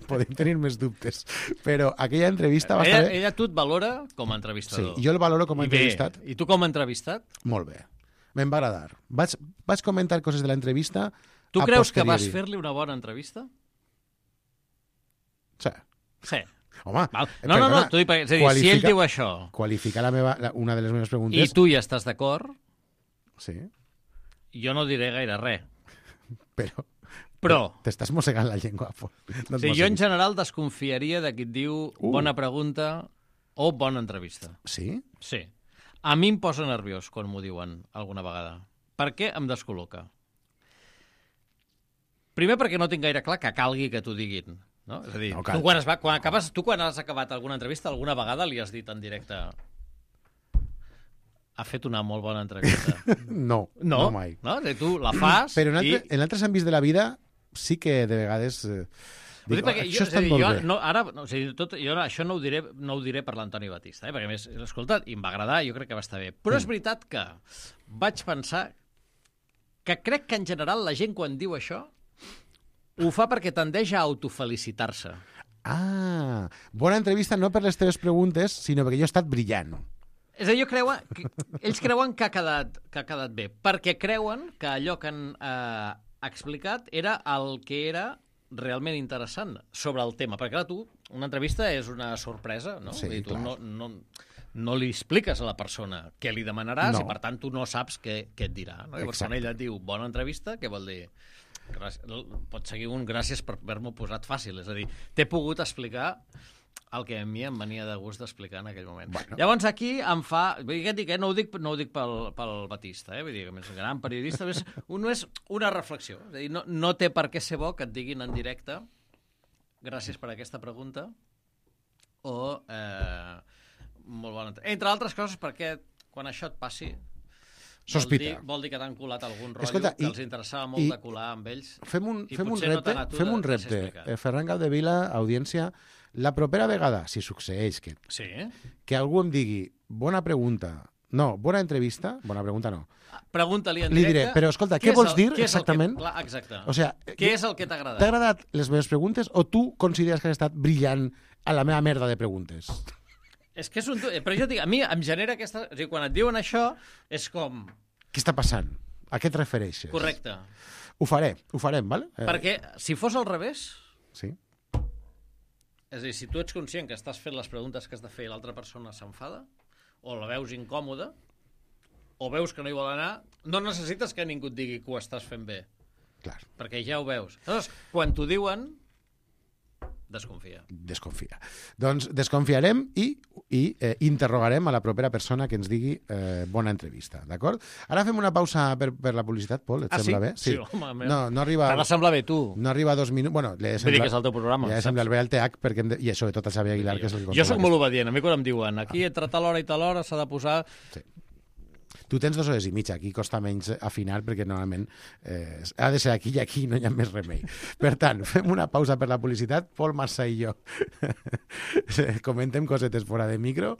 podem tenir més dubtes, però aquella entrevista va ella, estar bé. Ella tu et valora com a entrevistador. Sí, jo el valoro com a I entrevistat. Bé. I tu com a entrevistat? Molt bé, me'n va agradar. Vaig, vaig comentar coses de l'entrevista. Tu creus que vas fer-li una bona entrevista? Sí. Sí. Home, Val. No, no, no, t'ho dic, és a dir, si ell diu això... Qualificar la meva, la, una de les meves preguntes... I tu hi estàs d'acord? Sí. Jo no diré gaire res. Però... Però... T'estàs mossegant la llengua. No sí, jo en general desconfiaria de qui et diu uh. bona pregunta o bona entrevista. Sí? Sí. A mi em posa nerviós quan m'ho diuen alguna vegada. Per què em descol·loca? Primer perquè no tinc gaire clar que calgui que t'ho diguin. No? És a dir, No no, cal. tu, quan es va, quan acabes, tu quan has acabat alguna entrevista, alguna vegada li has dit en directe ha fet una molt bona entrevista. No, No, no mai. no? De tu la fas Però en, altre, i... en altres àmbits de la vida sí que de vegades... Eh, Vull dic, dir, perquè això jo, és està a dir, molt jo bé. no, ara, no, o sigui, tot, jo no, això no ho diré, no ho diré per l'Antoni Batista, eh? Perquè a més l'he escoltat i em va agradar, jo crec que va estar bé. Però és veritat que vaig pensar que crec que en general la gent quan diu això ho fa perquè tendeix a autofelicitar-se. Ah, bona entrevista no per les teves preguntes, sinó perquè jo he estat brillant. És a dir, jo creuen, que, ells creuen que ha, quedat, que ha quedat bé, perquè creuen que allò que han eh, explicat era el que era realment interessant sobre el tema. Perquè, clar, tu, una entrevista és una sorpresa, no? Sí, Vull dir, tu clar. no, no, no li expliques a la persona què li demanaràs No. i, per tant, tu no saps què, què et dirà. No? Llavors, quan Exacte. ella et diu bona entrevista, què vol dir? Gràcies, pot seguir un gràcies per haver-m'ho posat fàcil. És a dir, t'he pogut explicar el que a mi em venia de gust d'explicar en aquell moment. Bueno. Llavors aquí em fa... Vull dir, què et dic, eh? No ho dic, no ho dic pel, pel Batista, eh? Vull dir, que és un gran periodista, és, un, és una reflexió. És a dir, no, no té per què ser bo que et diguin en directe gràcies per aquesta pregunta o eh, molt bona... Entre altres coses perquè quan això et passi Sospita. Vol dir, vol dir que t'han colat algun rotllo Escolta, que i- els interessava molt i- de colar amb ells. Fem un, i fem un potser no repte, tant a tu fem de- un de ser repte. explicat. Eh, Ferran Capdevila, audiència, la propera vegada, si succeeix que, Sí? que algú em digui bona pregunta, no, bona entrevista, bona pregunta no, Pregunta-li en li directe... diré, però escolta, què què és vols el- dir què és el que- exactament? Clar, exacte. O sea, Què és el que t'ha agradat? T'ha agradat les meves preguntes o tu consideres que has estat brillant a la meva merda de preguntes? És que és un... Però jo et dic, a mi em genera aquesta... O sigui, quan et diuen això, és com... Què està passant? A què et refereixes? Correcte. Ho faré, ho farem, vale? Eh, Perquè si fos al revés... Sí. És a dir, si tu ets conscient que estàs fent les preguntes que has de fer i l'altra persona s'enfada, o la veus incòmoda, o veus que no hi vol anar, no necessites que ningú et digui que ho estàs fent bé. Clar. Perquè ja ho veus. Llavors, quan t'ho diuen, desconfia. Desconfia. Doncs desconfiarem i, i eh, interrogarem a la propera persona que ens digui eh, bona entrevista, d'acord? Ara fem una pausa per, per la publicitat, Pol, et Ah, sembla sí? bé? Sí, home, meu. no, no arriba... T'ha de semblar bé, tu. No arriba a dos minuts... Bueno, li he de Vull dir semblar... que és el teu programa, Li he de semblar saps? bé al T H, perquè hem de... i sobretot al Xavier Aguilar, que és el que Jo sóc controla molt obedient. A mi quan em diuen aquí entre tal hora i tal hora s'ha de posar... Sí. Tu tens dues hores i mitja, aquí costa menys afinar perquè normalment eh, ha de ser aquí i aquí no hi ha més remei. Per tant, fem una pausa per la publicitat, Pol Marsà i jo comentem cosetes fora de micro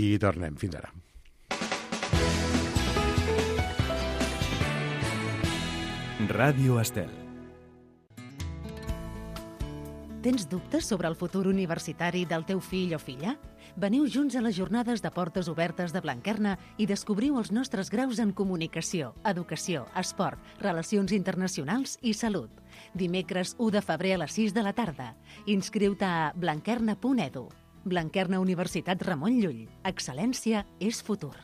i tornem. Fins ara. Ràdio Estel. Tens dubtes sobre el futur universitari del teu fill o filla? Veniu junts a les jornades de portes obertes de Blanquerna i descobriu els nostres graus en comunicació, educació, esport, relacions internacionals i salut. Dimecres u de febrer a les sis de la tarda. Inscriu-te a blanquerna punt edu. Blanquerna Universitat Ramon Llull. Excel·lència és futur.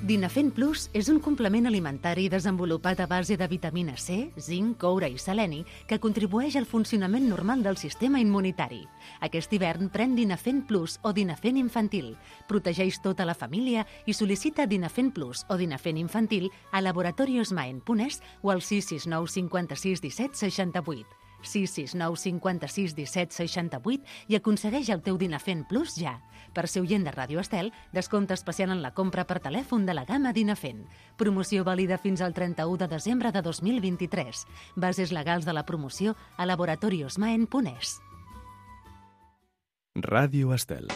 Dinafent Plus és un complement alimentari desenvolupat a base de vitamina C, zinc, coure i seleni que contribueix al funcionament normal del sistema immunitari. Aquest hivern pren Dinafent Plus o Dinafent Infantil. Protegeix tota la família i sol·licita Dinafent Plus o Dinafent Infantil a laboratoriosmaen punt es o al sis sis nou cinquanta-sis disset seixanta-vuit. sis sis nou cinquanta-sis disset seixanta-vuit i aconsegueix el teu Dinafent Plus ja. Per ser oient de Ràdio Estel, descompte especial en la compra per telèfon de la gamma Dinafent. Promoció vàlida fins al trenta-u de desembre de dos mil vint-i-tres. Bases legals de la promoció a laboratoriosmaen punt es. Ràdio Estel.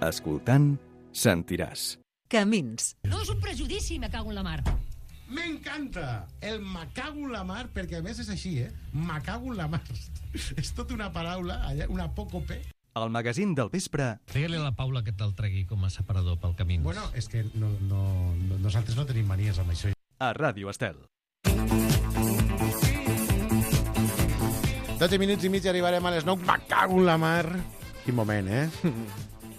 Escoltant, sentiràs. Camins. No és un prejudici, me cago en la mar. M'encanta! El me cago en la mar, perquè a més és així, eh? Me cago en la mar. És tota una paraula, allà, una apòcope. El magazín del vespre. Digue-li a la Paula que te'l tregui com a separador pel camí. Bueno, és que no, no, no, nosaltres no tenim manies amb això. A Ràdio Estel. dotze minuts i mig i arribarem a les nou. Me cago en la mar. Quin moment, eh?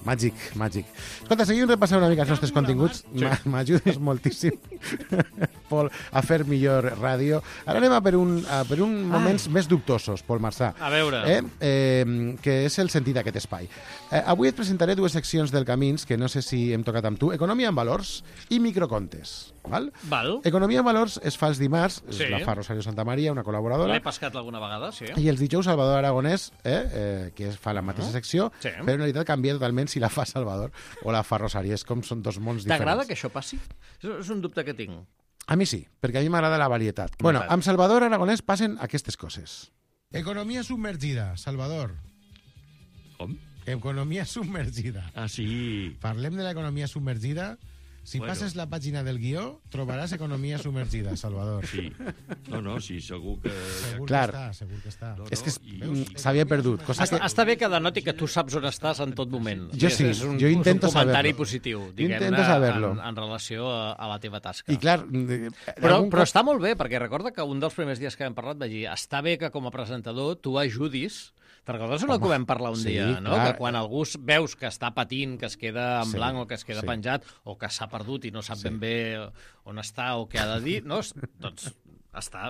Màgic, màgic. Escolta, seguim repassant una mica els nostres continguts. Sí. M'ajudes moltíssim. Pol, a fer millor ràdio. Ara anem a per, un, a per un moments Ai. més dubtosos, Pol Marsà. A veure. Eh? Eh, que és el sentit d'aquest espai. Eh, avui et presentaré dues seccions del Camins, que no sé si hem tocat amb tu. Economia en valors i microcontes. Val? Val. Economia en valors es fa els dimarts, Sí. la fa Rosario Santamaria, una col·laboradora. L'he pescat alguna vegada, sí. I els dijous Salvador Aragonès, eh, eh, que fa la mateixa secció, Sí. però en realitat canvia totalment si la fa Salvador o la fa Rosario. És com són dos mons diferents. T'agrada que això passi? És és un dubte que tinc. A mi sí, perquè a mi m'agrada la varietat. Bueno, amb Salvador Aragonès passen aquestes coses. Economia submergida, Salvador. Com? Economia submergida. Ah, sí. Parlem de l'economia submergida. Si Bueno. passes la pàgina del guió, trobaràs economia submergida, Salvador. Sí. No, no, sí, segur que... Segur Clar. que està, segur que està. No, no, és que i- mm, s'havia perdut. Cosa Està, que... està bé que denoti que tu saps on estàs en tot moment. Jo sí, és un, jo intento és un comentari saberlo. positiu, Jo diguem-ne, intento saberlo. en, en relació a, a la teva tasca. I clar... Però, però està molt bé, perquè recorda que un dels primers dies que hem parlat vaig dir està bé que com a presentador tu ajudis. Te'n recordes una Home, que vam parlar un sí, dia, no? clar. Que quan algú veus que està patint, que es queda en Sí, blanc o que es queda sí. penjat o que s'ha perdut i no sap Sí. ben bé on està o què ha de dir, no? Doncs està,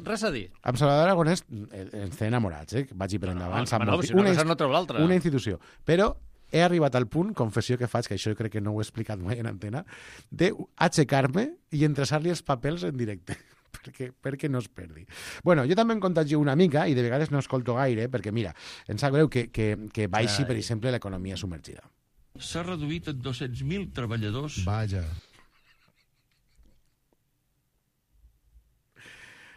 res a dir. Amb Salvador Aragonès eh, ens té enamorats, eh? Vagi per endavant. No, sap bueno, molt. si una Una cosa inst- no treu l'altra. Una institució. Però he arribat al punt, confessió que faig, que això crec que no ho he explicat mai en antena, d'aixecar-me i entreçar-li els papers en directe. perquè, perquè no es perdi. Bueno, jo també em contagio una mica i de vegades no escolto gaire perquè, mira, em sap greu que, que, que baixi, Ai. per exemple, l'economia submergida. S'ha reduït en dos-cents mil treballadors. Vaja.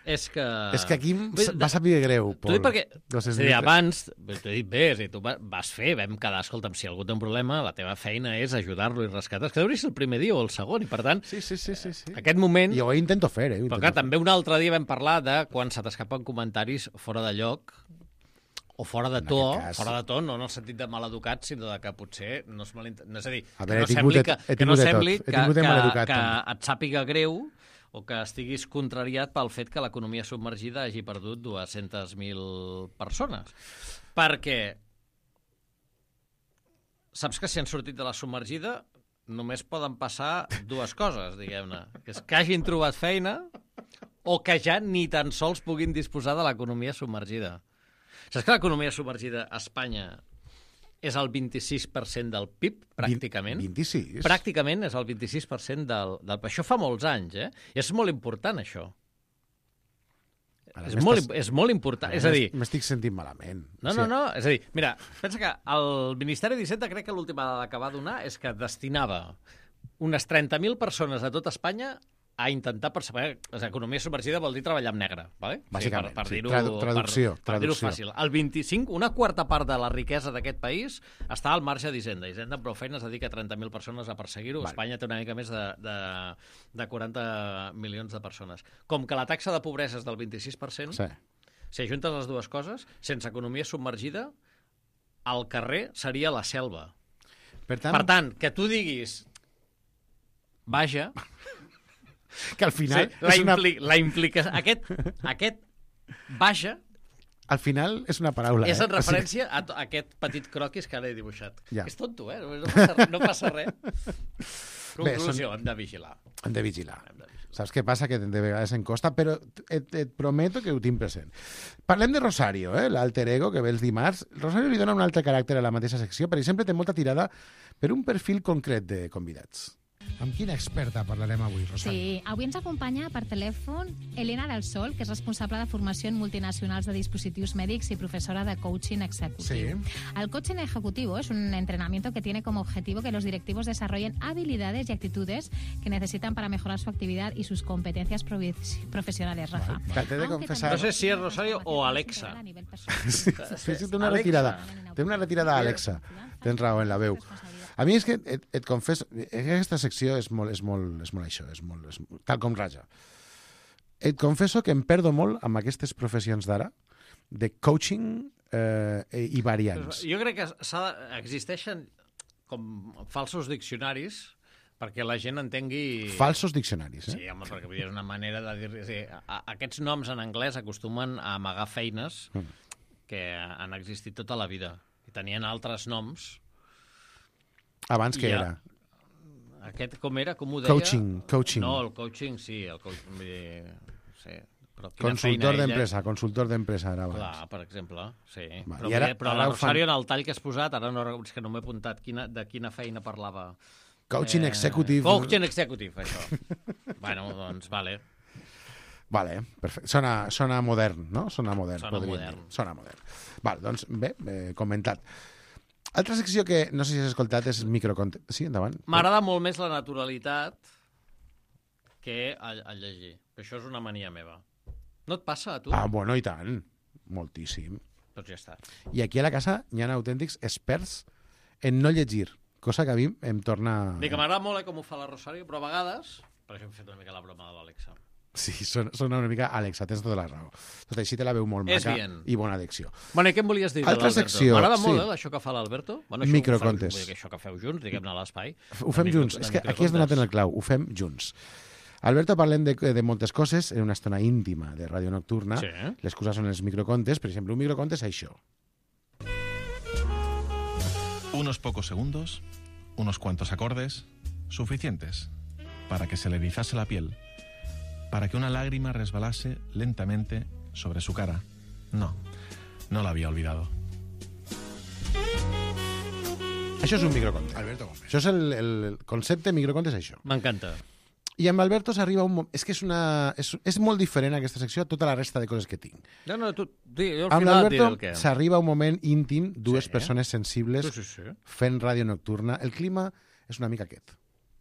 És que... És que aquí em Vull dir, va saber greu, T'ho dic Pol. perquè, dos cents és a dir, mil abans, t'ho he dit bé, és a dir, tu va- vas fer, vam quedar, escolta'm, si algú té un problema, la teva feina és ajudar-lo i rescatar. És que deuria ser el primer dia o el segon, i per tant, sí, sí, sí, sí, sí. aquest moment... I ho intento fer, eh? ho Però intento clar, també un altre dia vam parlar de quan se t'escapen comentaris fora de lloc o fora de En to, aquest cas- fora de to, no en el sentit de maleducat, sinó de que potser no és malent... No, és a dir, A que veure, no he tingut sembli, de- que, he que, no tingut de tot. sembli He que, tingut de que, maleducat, que també. et sàpiga greu o que estiguis contrariat pel fet que l'economia submergida hagi perdut dues-centes mil persones. Perquè saps que si han sortit de la submergida només poden passar dues coses, diguem-ne. Que és que hagin trobat feina o que ja ni tan sols puguin disposar de l'economia submergida. Saps que l'economia submergida a Espanya és el vint-i-sis per cent del P I B, pràcticament? vint-i-sis? Pràcticament és el vint-i-sis per cent del, del... Això fa molts anys, eh? I és molt important, això. Ara És m'estàs- molt, és molt important. Ara És a dir, m'estic sentint malament. no, O no, sigui, no. És a dir, mira, pensa que el Ministeri d'Hisenda crec que l'última dada que va donar és que destinava unes trenta mil persones a tot Espanya a intentar percebre... Economia submergida vol dir treballar amb negre, ¿vale? Bàsicament, per, per sí. dir-ho Tradu- traducció, per, per dir-ho traducció. fàcil. El vint-i-cinc, una quarta part de la riquesa d'aquest país està al marge d'Hisenda. Hisenda amb prou feines dedica trenta mil persones a perseguir-ho. Vale. Espanya té una mica més de, de, de quaranta milions de persones. Com que la taxa de pobresa és del vint-i-sis per cent, Sí. si ajuntes les dues coses, sense economia submergida, el carrer seria la selva. Per tant, Per tant, que tu diguis vaja, que al final... sí, la, és una... impli la implica... Aquest, aquest vaja Al final és una paraula, és eh? en referència a, to- a aquest petit croquis que ara he dibuixat. Ja. És tonto, eh? No passa, no passa res. Conclusió, són- hem de vigilar. Hem de vigilar. Saps què passa? Que de vegades em costa, però et, et prometo que ho tinc present. Parlem de Rosario, eh? l'alter ego que ve els dimarts. Rosario li dona un altre caràcter a la mateixa secció. Per exemple, té molta tirada per un perfil concret de convidats. Amb quina experta parlarem avui, Rosario? Sí, avui ens acompanya per telèfon Elena del Sol, que és responsable de formació en multinacionals de dispositivos médicos y profesora de coaching ejecutivo. Sí. El coaching ejecutivo es un entrenamiento que tiene como objetivo que los directivos desarrollen habilidades y actitudes que necesitan para mejorar su actividad y sus competencias provi- profesionales, Rafa. Vale. T'he de Aunque confessar... No sé si és Rosario o Alexa. Sí, sí, sí, té una Alexa. retirada. Té una retirada a Alexa. Tens raó en la veu. A mi és que et, et confesso, aquesta secció és molt, és molt, és molt això, és molt, és, tal com raja. Et confesso que em perdo molt amb aquestes professions d'ara, de coaching eh, i variants. Jo crec que s'ha de- existeixen com falsos diccionaris perquè la gent entengui... Falsos diccionaris, eh? Sí, home, perquè vull dir, és una manera de dir... Sí, a, a, aquests noms en anglès acostumen a amagar feines Mm. que han existit tota la vida i tenien altres noms. Abans que I ja- era? Aquest com era? Com ho deia? Coaching, coaching. No, el coaching sí. El coaching, vull dir, sí. Però Consultor d'empresa, consultor d'empresa era abans. Clar, per exemple, sí. Va, però i ara- però ara la ho fan- Rosario, en el tall que has posat, ara no, és que no m'he apuntat quina, de quina feina parlava. Coaching executive. Coaching executive, això. Bueno, doncs, vale. Vale, perfecte. Sona, sona modern, no? Sona modern, Sona podríem modern. dir. Sona modern. Val, doncs, bé, eh, comentat. Altra secció que no sé si has escoltat és microcontent. Sí, endavant. M'agrada molt més la naturalitat que el, el llegir. Això és una mania meva. No et passa a tu? Ah, bueno, i tant. Moltíssim. Doncs ja està. I aquí a la casa hi ha autèntics experts en no llegir, cosa que a mi em torna... Bé, que m'agrada molt eh, com ho fa la Rosario, però a vegades... Per això hem fet una mica la broma de l'Àlexa. Sí, sona, sona una mica... Àlexa, tens tota la raó. Tot així te la veu molt És maca bien. i bona addicció. Bueno, i què em volies dir Altra de l'Alberto? secció, M'agrada molt, sí. eh, això que fa l'Alberto. Bueno, això Microcontes. Ho feu, vull dir que això que feu junts, diguem-ne a l'espai. Ho fem De micro- junts. de És que aquí has donat en el clau. Ho fem junts. Alberto, parlem de, de moltes coses en una estona íntima de Ràdio Nocturna. Sí. Les coses són els microcontes. Per exemple, un microconte és això. Unos pocos segundos, unos cuantos acordes, suficientes para que se le erizase la piel, para que una lágrima resbalase lentamente sobre su cara. No, no la había olvidado. Això és un microconte. Alberto Gómez. Això és el, el concepte microconte, és això. M'encanta. I amb Alberto s'arriba un moment... És que és, una... és, és molt diferent aquesta secció a tota la resta de coses que tinc. No, no, tu, di, jo al Amb final et diré el l'Alberto que... s'arriba un moment íntim, dues Sí. persones sensibles Sí, sí, sí. fent ràdio nocturna. El clima és una mica aquest.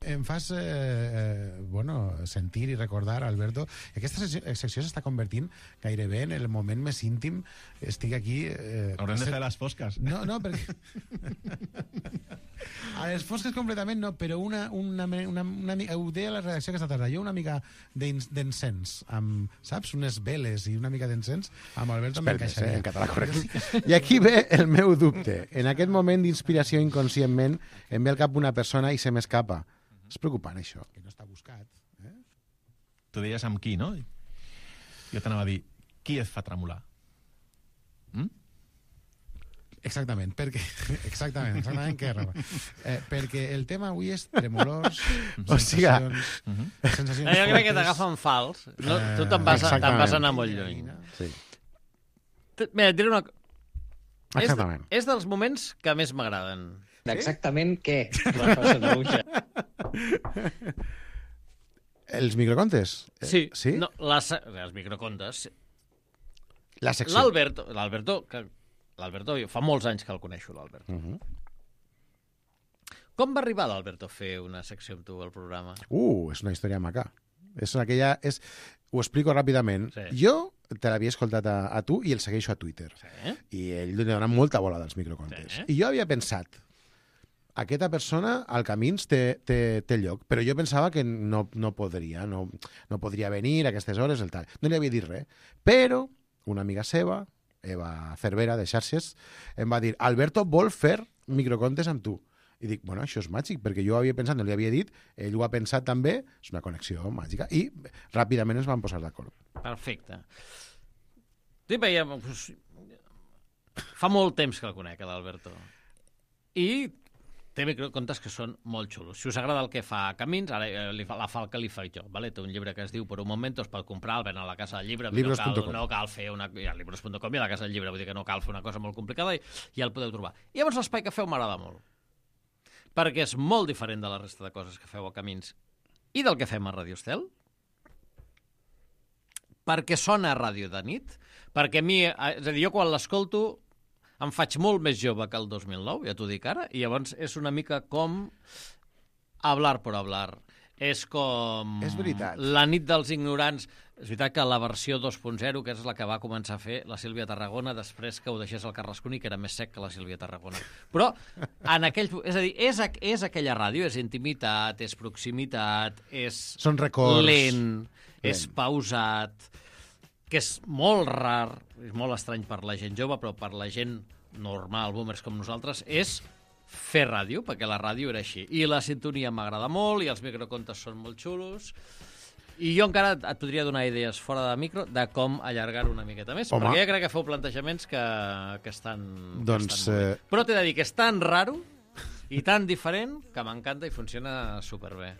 Em fas eh, eh, bueno, sentir i recordar, Alberto, que aquesta secció, secció s'està convertint gairebé en el moment més íntim. Estic aquí... Eh, Haurem de fer les fosques. No, no, perquè... A les fosques completament no, però una, una, una, una, una ho deia la redacció que està tarda, jo una mica d'ins- d'encens, amb, saps, unes veles i una mica d'encens, amb Alberto m'encaixaria. eh, en català correcte. I aquí ve el meu dubte. En aquest moment d'inspiració inconscientment em ve al cap una persona i se m'escapa. És preocupant, això. Que no està buscat. Eh? Tu deies amb qui, no? Jo t'anava a dir, qui et fa tremolar? Mm? Exactament, perquè... Exactament, exactament què roba. Eh, perquè el tema avui és tremolors, O sigui, sensacions... sensacions jo crec que fortes. t'agafen fals. No, Eh, tu te'n vas, te'n exactament. vas anar molt lluny. Sí. T- Mira, et diré una... co- És, Exactament. és dels moments que més m'agraden. Exactament què? Els microcontes? Eh, Sí, sí? No, les, els microcontes. La secció. L'Alberto, l'Alberto, que l'Alberto, jo fa molts anys que el coneixo, l'Alberto. Uh -huh. Com va arribar l'Alberto a fer una secció amb tu al programa? Uh, és una història maca. És aquella... És... Ho explico ràpidament. Sí. Jo te l'havia escoltat a, a tu i el segueixo a Twitter. Sí. I ell li dona molta bola dels microcontes. Sí. I jo havia pensat, aquesta persona al Camins té, té, té lloc, però jo pensava que no, no podria, no, no podria venir a aquestes hores, el tal. No li havia dit res. Però una amiga seva, Eva Cervera, de Xarxes, em va dir, Alberto vol fer microcontes amb tu. I dic, bueno, això és màgic, perquè jo havia pensat, no li havia dit, ell ho ha pensat també, és una connexió màgica, i ràpidament ens van posar d'acord. Perfecte. Sí, veia, doncs, fa molt temps que el conec, l'Alberto. I té microcontes que són molt xulos. Si us agrada el que fa Camins, ara eh, li fa, la fa el que li faig jo. Vale? Té un llibre que es diu Per un moment, es pot comprar, el ven a la Casa del Llibre. Libros No punt cal, com. no cal fer una... Hi ha libros punt com i a la Casa del Llibre, vull dir que no cal fer una cosa molt complicada i ja el podeu trobar. I llavors l'espai que feu m'agrada molt, perquè és molt diferent de la resta de coses que feu a Camins i del que fem a Radio Estel, perquè sona a ràdio de nit, perquè a mi, eh, és a dir, jo quan l'escolto em faig molt més jove que el dos mil nou, ja t'ho dic ara, i llavors és una mica com hablar por hablar. És com... És veritat. La nit dels ignorants. És veritat que la versió dos punt zero, que és la que va començar a fer la Sílvia Tarragona, després que ho deixés el Carrasconi, que era més sec que la Sílvia Tarragona. Però, en aquell... És a dir, és, és aquella ràdio, és intimitat, és proximitat, és... Són records. Lent, és Lent. pausat, que és molt rar, és molt estrany per la gent jove, però per la gent normal, boomers com nosaltres, és fer ràdio, perquè la ràdio era així. I la sintonia m'agrada molt, i els microcontes són molt xulos, i jo encara et podria donar idees fora de micro de com allargar una miqueta més, Home. perquè ja crec que feu plantejaments que, que estan, Doncs, que estan molt bé. eh, Però t'he de dir que és tan raro I tan diferent que m'encanta i funciona superbé.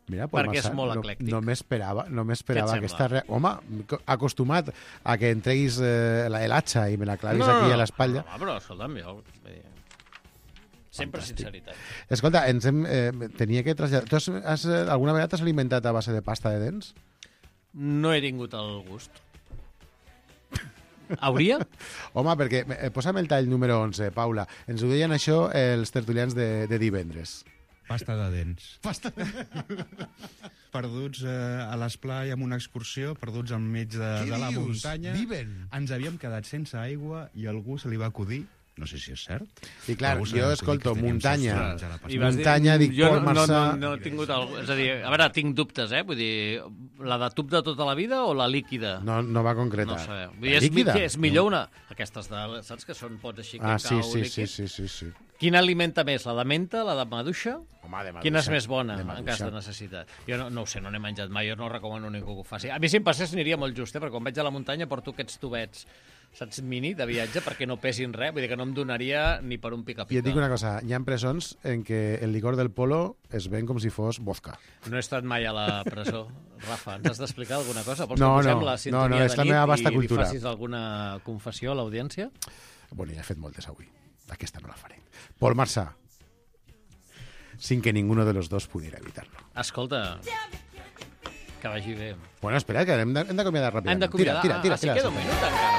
Mira, Pol perquè Marsà, és molt no, eclèctic. no m'esperava no m'esperava Què et aquesta... sembla? Re... Home, acostumat a que entreguis eh, la- l'atxa i me la clavis No, no, aquí no. a l'espatlla. No, però escolta'm, jo... vull dir, Sempre Fantàstic. sinceritat. Escolta, ens hem, eh, tenia que traslladar... Tu has, has, eh, alguna vegada t'has alimentat a base de pasta de dents? No he tingut el gust. Hauria? Home, perquè... Eh, posa'm el tall número onze, Paula. Ens ho deien això els tertulians de, de divendres. Pasta de dents. Pasta de Perduts eh, a l'esplai amb una excursió, perduts enmig de, Què de la dius? muntanya. Viven? Ens havíem quedat sense aigua i algú se li va acudir, no sé si és cert. I clar, algú se jo li va acudir escolto que teníem muntanya. sostre a la pasta. I vas dir- Muntanya, dic jo Pol no, Marsà... No, no, no he tingut el... És a dir, a veure, tinc dubtes, eh? Vull dir, la de tub de tota la vida o la líquida? No, no va concretar. No ho sabeu. Vull La dir, és, líquida? mi- és millor una... Aquestes de... Saps que són pots així, Ah, cacau, sí, sí, líquid? sí, sí, sí, sí. Quina alimenta més, la de menta, la de maduixa? Home, de maduixa. Quina és més bona, De en maduixa. cas de necessitat? Jo no, no ho sé, no n'he menjat mai, jo no recomano a ningú que ho faci. A mi, si em passés, aniria molt just, eh? Perquè quan vaig a la muntanya porto aquests tubets, saps, mini, de viatge, perquè no pesin res, vull dir que no em donaria ni per un pica-pica. I et dic una cosa, hi ha presons en què el licor del polo es ven com si fos vodka. No he estat mai a la presó. Rafa, ens has d'explicar alguna cosa? Vols No, que posem no, la no, sintonia no, és la de meva nit vasta i li cultura. facis alguna confessió a l'audiència? Bueno, ja he fet moltes avui. Aquesta no la faré. Pol Marsà, sin que ninguno de los dos pudiera evitarlo. Escolta, que vagi bé. Bueno, espera, que hem de- hem d'acomiadar ràpidament. Hem d'acomiadar. Tira, tira, Ah, tira. si queda un minut encara.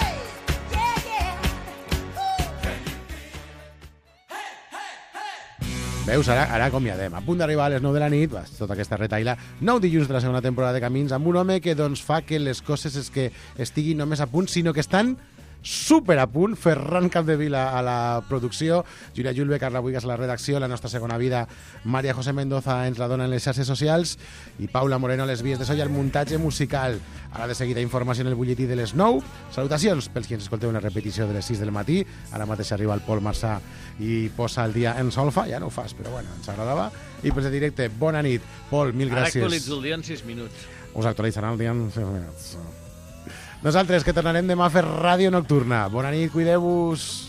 Veus, ara, ara acomiadem. A punt d'arribar a les nou de la nit, va, tota aquesta retaila, nou dilluns de la segona temporada de Camins, amb un home que doncs, fa que les coses és que estiguin només a punt, sinó que estan super a punt. Ferran Capdevila a la producció, Júlia Julve, Carla Buigas a la redacció, la nostra segona vida, Maria José Mendoza ens la dona en les xarxes socials i Paula Moreno a les vies de so i el muntatge musical. Ara de seguida informació en el butlletí de les nou. Salutacions pels que ens escolteu una repetició de les sis del matí. Ara mateix arriba el Pol Marsà i posa el dia en solfa. Ja no ho fas, però bueno, ens agradava. I pels de directe, bona nit. Pol, mil Ara gràcies. actualitzo el dia en sis minuts. Us actualitzaran el dia en sis minuts. Nosaltres, que tornarem demà a fer ràdio nocturna. Bona nit, cuideu-vos.